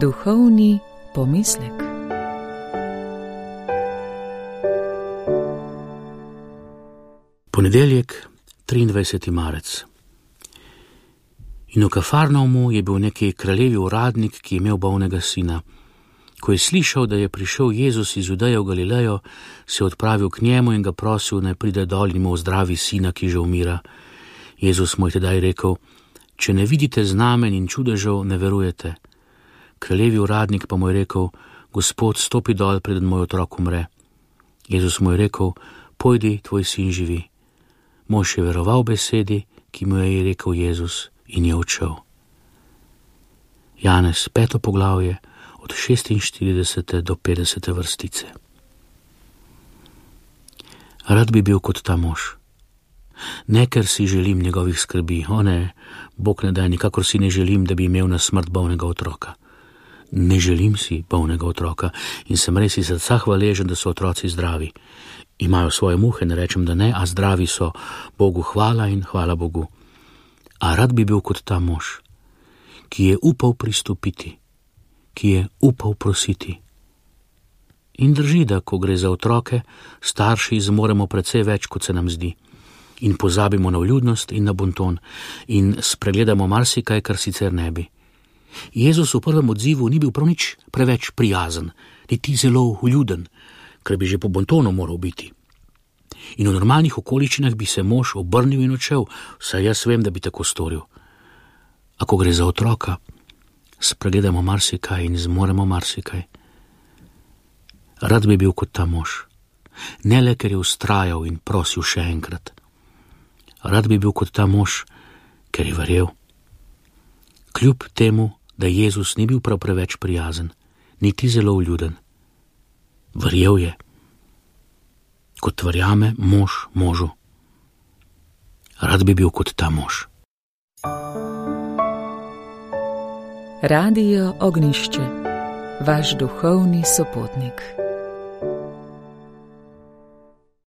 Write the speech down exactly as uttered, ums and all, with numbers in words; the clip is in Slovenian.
Duhovni pomislek. Ponedeljek, triindvajseti marec. In v Kafarnaumu je bil neki kraljevi uradnik, ki je imel bolnega sina. Ko je slišal, da je prišel Jezus iz Judeje v Galilejo, se je odpravil k njemu in ga prosil, naj pride dol in mu ozdravi sina, ki že umira. Jezus mu je tedaj rekel: če ne vidite znamen in čudežev, ne verujete. Kraljevi uradnik pa mu je rekel: Gospod, stopi dol, preden moj otrok umre. Jezus mu je rekel: pojdi, tvoj sin živi. Mož je veroval besedi, ki mu je rekel Jezus, in je odšel. Janez, peto poglavje, od šestinštiridesete do petdesete vrstice. Rad bi bil kot ta mož. Ne, ker si želim njegovih skrbi, o ne, Bog ne daj, nikakor si ne želim, da bi imel na smrt bolnega otroka. Ne želim si bolnega otroka in sem res iz srca hvaležen, da so otroci zdravi. Imajo svoje muhe, ne rečem, da ne, a zdravi so. Bogu hvala in hvala Bogu. A rad bi bil kot ta mož, ki je upal pristopiti, ki je upal prositi. In drži, da ko gre za otroke, starši zmoremo precej več, kot se nam zdi. In pozabimo na vljudnost in na bonton in spregledamo marsikaj, kar sicer ne bi. Jezus v prvem odzivu ni bil prav nič preveč prijazen, niti zelo vljuden, ker bi že po bontonu moral biti. In v normalnih okoliščinah bi se mož obrnil in odšel, saj jaz vem, da bi tako storil. A ko gre za otroka, spregledamo marsikaj in zmoremo marsikaj. Rad bi bil kot ta mož, ne le, ker je vztrajal in prosil še enkrat. Rad bi bil kot ta mož, ker je verjel. Kljub temu, da Jezus ni bil prav preveč prijazen, niti zelo vljuden. Verjel je, kot verjame mož možu. Rad bi bil kot ta mož. Radio Ognjišče, vaš duhovni sopotnik.